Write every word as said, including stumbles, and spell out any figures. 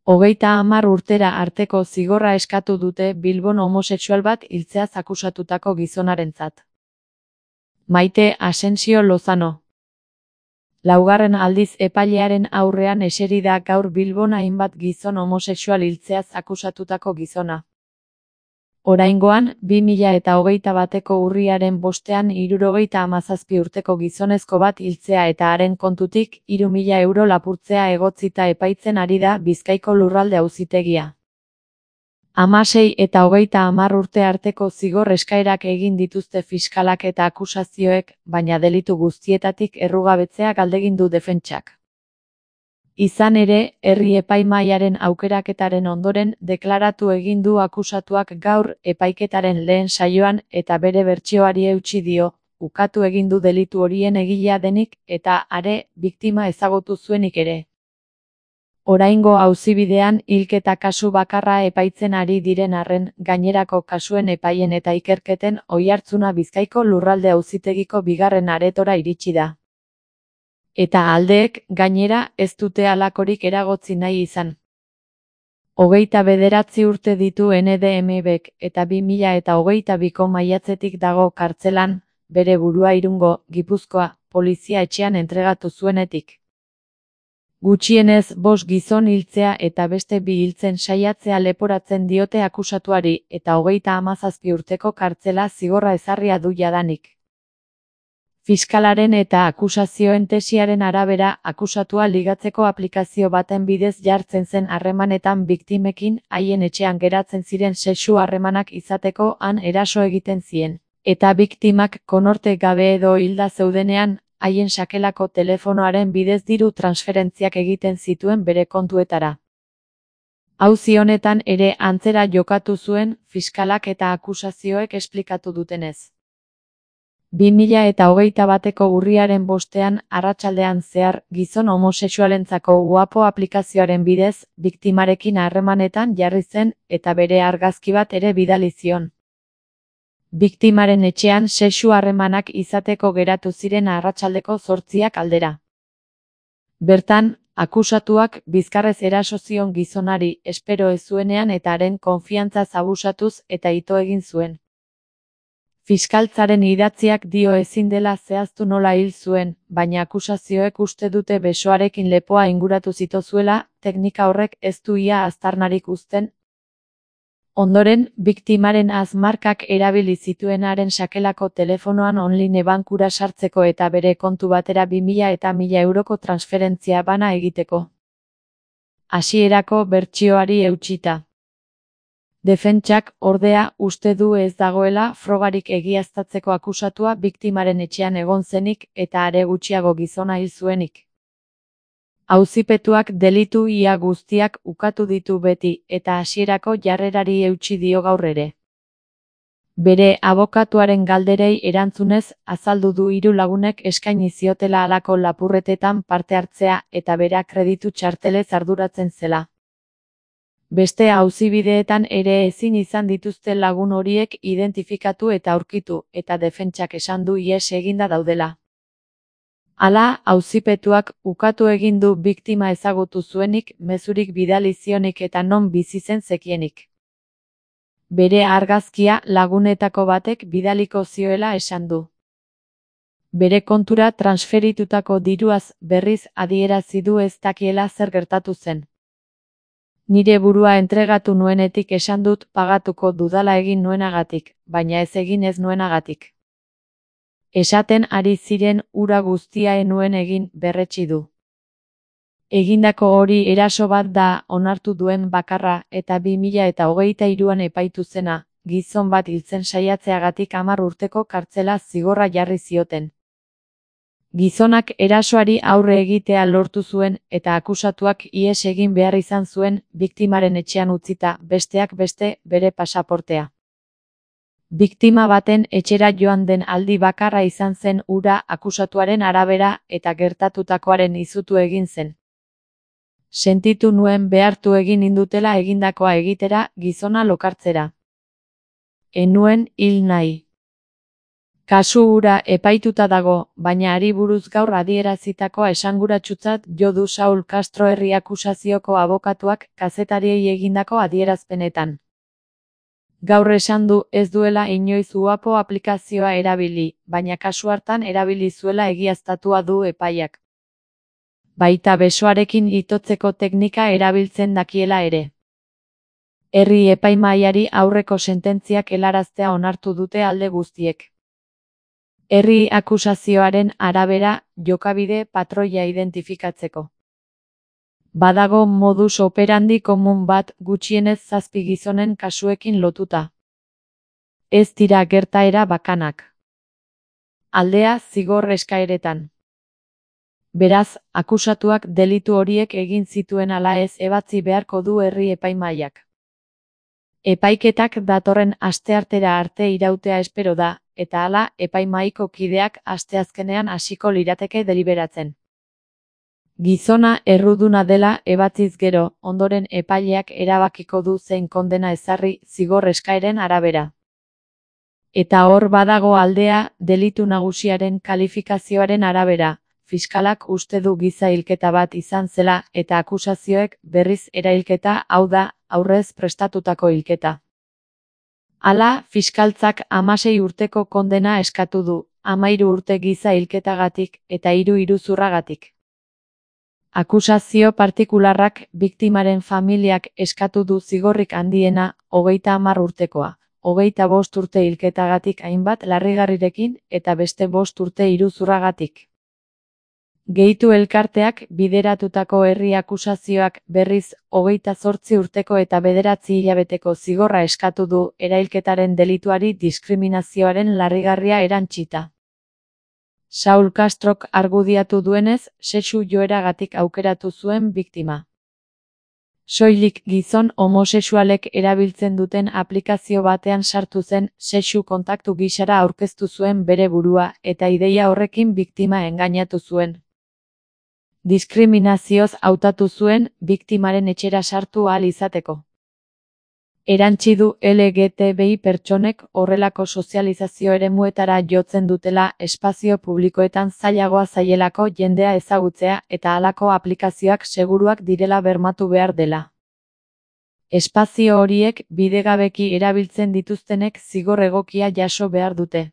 Hogeita hamar urtera arteko zigorra eskatu dute Bilbon homosexual bat hiltzeaz akusatutako gizonarentzat. Maite Asensio Lozano. Laugarren aldiz epailearen aurrean eseri da gaur Bilbon hainbat gizon homosexual hiltzeaz akusatutako gizona. Oraingoan, bi mila eta hogeita bateko urriaren bostean hirurogeita hamazazpi urteko gizonezko bat hiltzea eta haren kontutik hiru mila euro lapurtzea egotzita epaitzen ari da Bizkaiko Lurralde Auzitegia. Hamasei eta hogeita hamar urte arteko zigor eskaerak egin dituzte fiskalak eta akusazioek, baina delitu guztietatik errugabetzea galdegin du defentsak. Izan ere, herri epaimahaiaren aukeraketaren ondoren deklaratu egin du akusatuak gaur epaiketaren lehen saioan eta bere bertsioari eutsi dio, ukatu egin du delitu horien egilea denik eta are biktima ezagutu zuenik ere. Oraingo auzibidean hilketa kasu bakarra epaitzen ari diren arren, gainerako kasuen epaien eta ikerketen oihartzuna Bizkaiko Lurralde Auzitegiko bigarren aretora iritsi da. Eta aldeek, gainera, ez dute halakorik eragotzi nahi izan. Hogeita bederatzi urte ditu N D M Bk eta bi mila eta hogeita biko maiatzetik dago kartzelan, bere burua Irungo, Gipuzkoa, polizia etxean entregatu zuenetik. Gutxienez bost gizon hiltzea eta beste bi hiltzen saiatzea leporatzen diote akusatuari eta hogeita hamazazpi urteko kartzela zigorra ezarria du jadanik. Fiskalaren eta akusazioen tesiaren arabera, akusatua ligatzeko aplikazio baten bidez jartzen zen harremanetan biktimekin, haien etxean geratzen ziren sexu harremanak izateko han eraso egiten zien, eta biktimak konorte gabe edo hilda zeudenean, haien sakelako telefonoaren bidez diru transferentziak egiten zituen bere kontuetara. Auzi honetan ere antzera jokatu zuen, fiskalak eta akusazioek esplikatu dutenez. bi mila eta hogeita bateko urriaren bostean, arratsaldean zehar, gizon homosexualentzako Guapo aplikazioaren bidez, biktimarekin harremanetan jarri zen, eta bere argazki bat ere bidali zion. Biktimaren etxean sexu harremanak izateko geratu ziren arratsaldeko zortziak aldera. Bertan, akusatuak bizkarrez eraso zion gizonari, espero ez zuenean eta haren konfiantzaz abusatuz eta ito egin zuen. Fiskaltzaren idatziak dio ezin dela zehaztu nola hil zuen, baina akusazioek uste dute besoarekin lepoa inguratu zitozuela, teknika horrek ez du ia aztarnarik uzten. Ondoren, biktimaren azmarkak erabili zituenaren sakelako telefonoan online bankura sartzeko eta bere kontu batera bi mila eta mila euroko transferentzia bana egiteko. Hasierako bertsioari eutsita. Defentsak, ordea, uste du ez dagoela frogarik egiaztatzeko akusatua biktimaren etxean egon zenik eta are gutxiago gizona hil zuenik. Auzipetuak delitu ia guztiak ukatu ditu beti eta hasierako jarrerari eutsi dio gaur ere. Bere abokatuaren galderei erantzunez, azaldu du hiru lagunek eskaini ziotela halako lapurretetan parte hartzea eta bera kreditu txartelez arduratzen zela. Beste auzibideetan ere ezin izan dituzte lagun horiek identifikatu eta aurkitu, eta defentsak esan du ihes eginda daudela. Hala, auzipetuak ukatu egin du biktima ezagutu zuenik, mezurik bidali zionik eta non bizi zen zekienik. Bere argazkia lagunetako batek bidaliko zioela esan du. Bere kontura transferitutako diruaz berriz adierazi du ez dakiela zer gertatu zen. Nire burua entregatu nuenetik esan dut pagatuko dudala egin nuenagatik, baina ez egin ez nuenagatik. Esaten ari ziren hura guztia ez nuen egin berretsi du. Egindako hori eraso bat da onartu duen bakarra eta bi mila eta hogeita hiruan epaitu zena, gizon bat hiltzen saiatzeagatik hamar urteko kartzela zigorra jarri zioten. Gizonak erasoari aurre egitea lortu zuen eta akusatuak ihes egin behar izan zuen, biktimaren etxean utzita, besteak beste, bere pasaportea. Biktima baten etxera joan den aldi bakarra izan zen hura akusatuaren arabera eta gertatutakoaren izutu egin zen. Sentitu nuen behartu egin indutela egindakoa egitera, gizona lokartzera. Ez nuen hil nahi. Kasu hura epaituta dago, baina hari buruz gaur adierazitakoa esanguratsutzat jo du Saul Castro herri akusazioko abokatuak kazetariei egindako adierazpenetan. Gaur esan du ez duela inoiz uapo aplikazioa erabili, baina kasu hartan erabili zuela egiaztatua du epaiak. Baita besoarekin itotzeko teknika erabiltzen dakiela ere. Herri epaimahaiari aurreko sententziak helaraztea onartu dute alde guztiek. Herri akusazioaren arabera, jokabide patroia identifikatzeko. Badago modus operandi komun bat gutxienez zazpi gizonen kasuekin lotuta. Ez dira gertaera bakanak. Aldea zigor eskaeretan. Beraz, akusatuak delitu horiek egin zituen ala ez ebatzi beharko du herri epaimahaiak. Epaiketak datorren asteartera arte irautea espero da, eta hala epaimahaiko kideak asteazkenean hasiko lirateke deliberatzen. Gizona erruduna dela ebatziz gero, ondoren epaileak erabakiko du zein kondena ezarri zigor eskaeren arabera. Eta hor badago aldea, delitu nagusiaren kalifikazioaren arabera, fiskalak uste du giza hilketa bat izan zela eta akusazioek berriz erailketa, hau da, aurrez prestatutako hilketa. Hala, fiskaltzak hamasei urteko kondena eskatu du, hamairu urte giza hilketagatik eta hiru iruzurragatik. Akusazio partikularrak biktimaren familiak eskatu du zigorrik handiena, hogeita hamar urtekoa, hogeita bost urte hilketagatik hainbat larrigarrirekin eta beste bost urte iruzurragatik. Gehitu elkarteak bideratutako herri akusazioak berriz hogeita zortzi urteko eta bederatzi hilabeteko zigorra eskatu du erailketaren delituari diskriminazioaren larrigarria erantsita. Saul Castrok argudiatu duenez, sexu joeragatik aukeratu zuen biktima. Soilik gizon homosexualek erabiltzen duten aplikazio batean sartu zen sexu kontaktu gisara aurkeztu zuen bere burua eta ideia horrekin biktima engainatu zuen. Diskriminazioz hautatu zuen biktimaren etxera sartu ahal izateko. Erantsi du L G T B I pertsonek horrelako sozializazio eremuetara jotzen dutela espazio publikoetan zailagoa zaielako jendea ezagutzea eta halako aplikazioak seguruak direla bermatu behar dela. Espazio horiek bidegabeki erabiltzen dituztenek zigor egokia jaso behar dute.